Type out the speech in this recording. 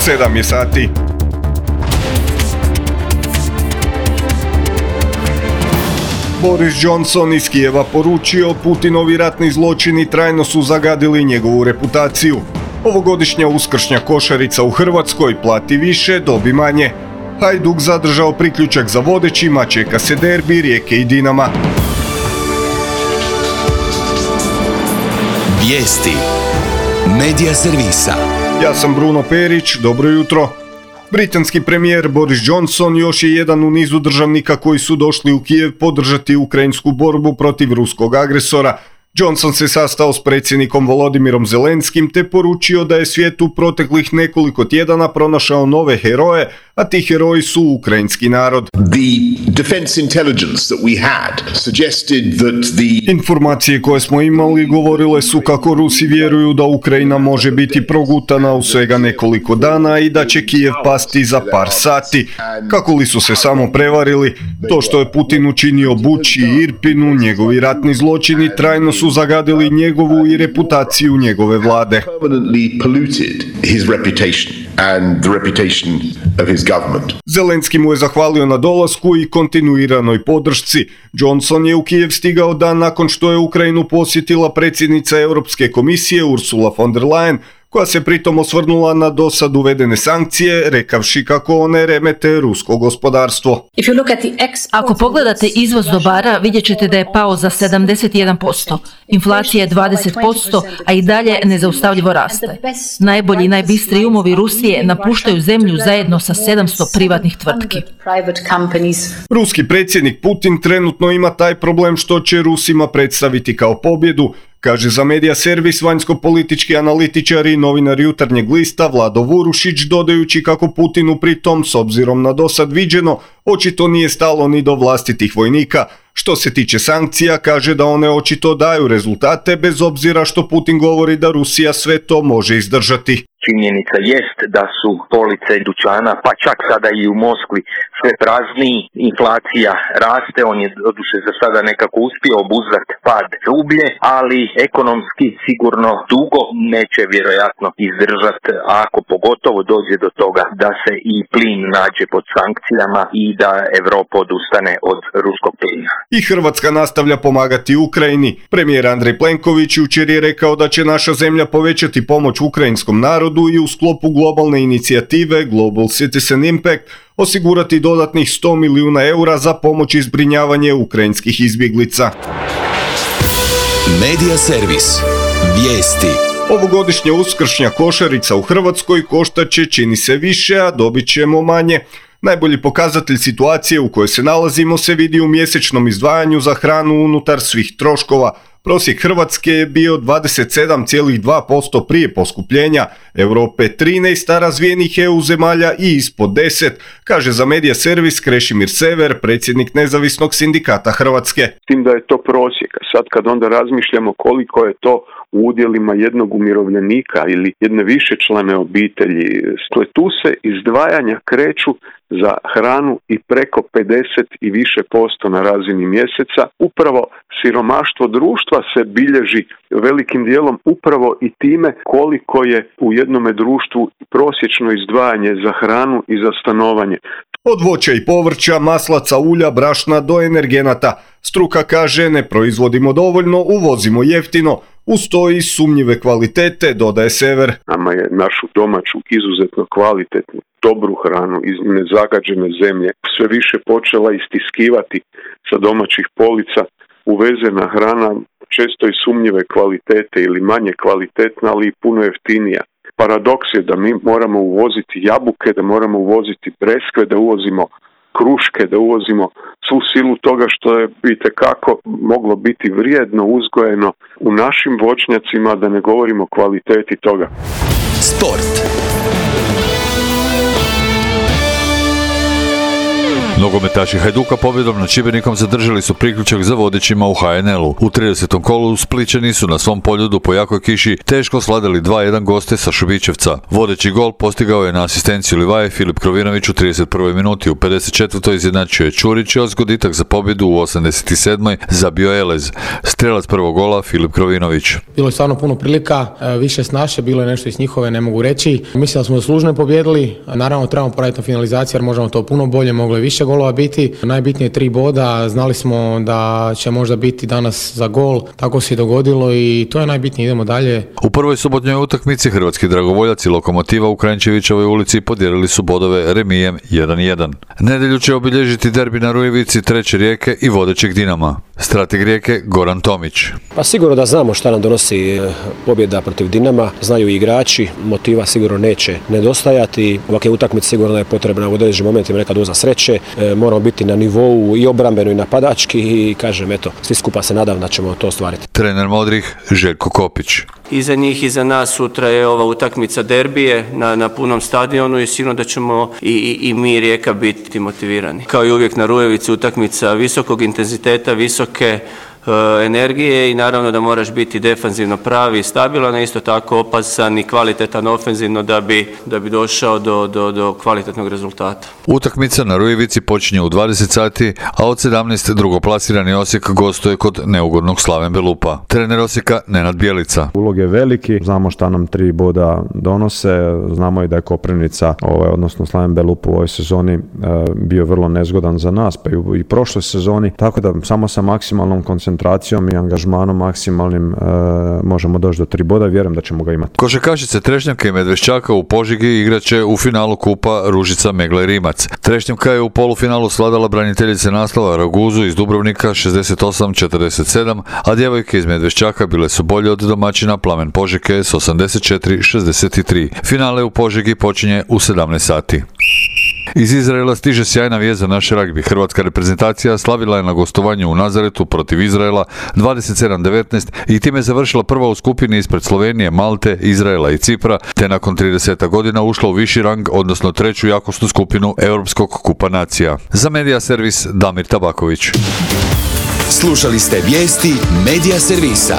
7 je sati. Boris Johnson iz Kijeva poručio Putinovi ratni zločini trajno su zagadili njegovu reputaciju. Ovogodišnja uskršnja košarica u Hrvatskoj plati više, dobi manje. Hajduk zadržao priključak za vodećima, čeka se derbi Rijeke i Dinama. Vijesti Medija servisa. Ja sam Bruno Perić, dobro jutro. Britanski premijer Boris Johnson još je jedan u nizu državnika koji su došli u Kijev podržati ukrajinsku borbu protiv ruskog agresora. Johnson se sastao s predsjednikom Volodimirom Zelenskim te poručio da je svijet u proteklih nekoliko tjedana pronašao nove heroje, a ti heroji su ukrajinski narod. Informacije koje smo imali govorile su kako Rusi vjeruju da Ukrajina može biti progutana u svega nekoliko dana i da će Kijev pasti za par sati. Kako li su se samo prevarili? To što je Putin učinio Buči i Irpinu, njegovi ratni zločini trajno su zagadili njegovu i reputaciju njegove vlade. Zelenski mu je zahvalio na dolasku i kontinuiranoj podršci. Johnson je u Kijev stigao dan nakon što je Ukrajinu posjetila predsjednica Europske komisije Ursula von der Leyen, koja se pritom osvrnula na dosad uvedene sankcije, rekavši kako one remete rusko gospodarstvo. Ako pogledate izvoz dobara, vidjet ćete da je pao za 71%. Inflacija je 20%, a i dalje nezaustavljivo raste. Najbolji i najbistriji umovi Rusije napuštaju zemlju zajedno sa 700 privatnih tvrtki. Ruski predsjednik Putin trenutno ima taj problem što će Rusima predstaviti kao pobjedu, kaže za medija servis vanjsko-politički analitičar i novinar Jutarnjeg lista Vlado Vurušić, dodajući kako Putinu pritom, s obzirom na dosad viđeno, očito nije stalo ni do vlastitih vojnika. Što se tiče sankcija, kaže da one očito daju rezultate, bez obzira što Putin govori da Rusija sve to može izdržati. Činjenica jest da su police dućana, pa čak sada i u Moskvi, sve prazniji, inflacija raste, on je doduše za sada nekako uspio obuzdati pad rublje, ali ekonomski sigurno dugo neće vjerojatno izdržati, ako pogotovo dođe do toga da se i plin nađe pod sankcijama i da Europa odustane od ruskog plina. I Hrvatska nastavlja pomagati Ukrajini. Premijer Andrej Plenković jučer je rekao da će naša zemlja povećati pomoć ukrajinskom narodu i u sklopu globalne inicijative Global Citizen Impact osigurati dodatnih 100 milijuna eura za pomoć i zbrinjavanje ukrajinskih izbjeglica. Medija servis. Vijesti. Ovogodišnja uskršnja košarica u Hrvatskoj koštaće, čini se, više, a dobit ćemo manje. Najbolji pokazatelj situacije u kojoj se nalazimo se vidi u mjesečnom izdvajanju za hranu unutar svih troškova. Prosjek Hrvatske je bio 27,2% prije poskupljenja, Europe 13, a razvijenih EU zemalja i ispod 10, kaže za medija servis Krešimir Sever, predsjednik Nezavisnog sindikata Hrvatske. S tim da je to prosjek, sad kad onda razmišljamo koliko je to u udjelima jednog umirovljenika ili jedne višečlane obitelji, tu se izdvajanja kreću za hranu i preko 50 i više posto na razini mjeseca. Upravo siromaštvo društva se bilježi velikim dijelom upravo i time koliko je u jednome društvu prosječno izdvajanje za hranu i za stanovanje. Od voća i povrća, maslaca, ulja, brašna do energenata. Struka kaže ne proizvodimo dovoljno, uvozimo jeftino, uz to i sumnjive kvalitete, dodaje Sever. Nama je našu domaću izuzetno kvalitetnu, dobru hranu iz nezagađene zemlje sve više počela istiskivati sa domaćih polica. Uvezena hrana često i sumnjive kvalitete ili manje kvalitetna, ali i puno jeftinija. Paradoks je da mi moramo uvoziti jabuke, da moramo uvoziti breskve, da uvozimo kruške, da uvozimo svu silu toga što je itekako moglo biti vrijedno uzgojeno u našim voćnjacima, da ne govorimo o kvaliteti toga. Sport. Nogometaši Hajduka pobjedom nad Šibenikom zadržali su priključak za vodećima u HNL-u. U 30. kolu Splićani su na svom poljudu po jakoj kiši teško sladili 2-1 goste sa Šubićevca. Vodeći gol postigao je na asistenciju Livaje Filip Krovinović u 31. minuti, u 54. izjednačio je Čurić, a zgoditak za pobjedu u 87. zabio Elez. Strelac prvog gola Filip Krovinović. Bilo je stvarno puno prilika, više s naše, bilo je nešto iz njihove, ne mogu reći. Mislim da smo zaslužno pobjedili, naravno trebamo poraditi na finalizaciji jer možemo to puno bolje, moglo je više golova biti. Najbitnije 3 boda, znali smo da će možda biti danas za gol, tako se i dogodilo i to je najbitnije, idemo dalje. U prvoj subotnjoj utakmici hrvatski dragovoljac i Lokomotiva u Kranjčevićevoj ulici podijelili su bodove remijem 1-1. Nedjelju će obilježiti derbi na Rujevici Treće Rijeke i vodećeg Dinama. Strateg Rijeke Goran Tomić. Pa sigurno da znamo šta nam donosi pobjeda protiv Dinama, znaju i igrači, motiva sigurno neće nedostajati. Ovakve utakmice sigurno je potrebna u određenim momentima neka doza sreće, moramo biti na nivou i obrambeno i napadački i kažem eto, svi skupa se nadam da ćemo to ostvariti. Trener modrih Željko Kopić. Iza njih i za nas sutra je ova utakmica derbije na punom stadionu i sigurno da ćemo i mi Rijeka biti motivirani. Kao i uvijek na Rujevici utakmica visokog intenziteta, visoke energije i naravno da moraš biti defanzivno pravi i stabilan, a isto tako opasan i kvalitetan ofenzivno da bi došao do kvalitetnog rezultata. Utakmica na Rujevici počinje u 20 sati, a od 17 drugoplasirani Osijek gostuje kod neugodnog Slaven Belupa. Trener Osijeka Nenad Bjelica. Ulog je veliki, znamo šta nam 3 boda donose, znamo i da je Koprivnica, odnosno Slaven Belup u ovoj sezoni bio vrlo nezgodan za nas, pa i prošloj sezoni, tako da samo sa maksimalnom koncentracijom i angažmanom maksimalnim možemo doći do 3 boda i vjerujem da ćemo ga imati. Košarkašice Trešnjavke i Medveščaka u Požegi igraće u finalu kupa Ružica Megla i Rimac. Trešnjavka je u polufinalu svladala braniteljice naslova Raguzu iz Dubrovnika 68-47, a djevojke iz Medveščaka bile su bolje od domaćina Plamen Požege s 84-63. Finale u Požegi počinje u 17 sati. Iz Izraela stiže sjajna vijest za naš ragbi. Hrvatska reprezentacija slavila je na gostovanju u Nazaretu protiv Izraela 27-19 i time završila prva u skupini ispred Slovenije, Malte, Izraela i Cipra, te nakon 30 godina ušla u viši rang, odnosno 3. jakosnu skupinu Europskog kupa nacija. Za Medija servis Damir Tabaković. Slušali ste vijesti Medija servisa.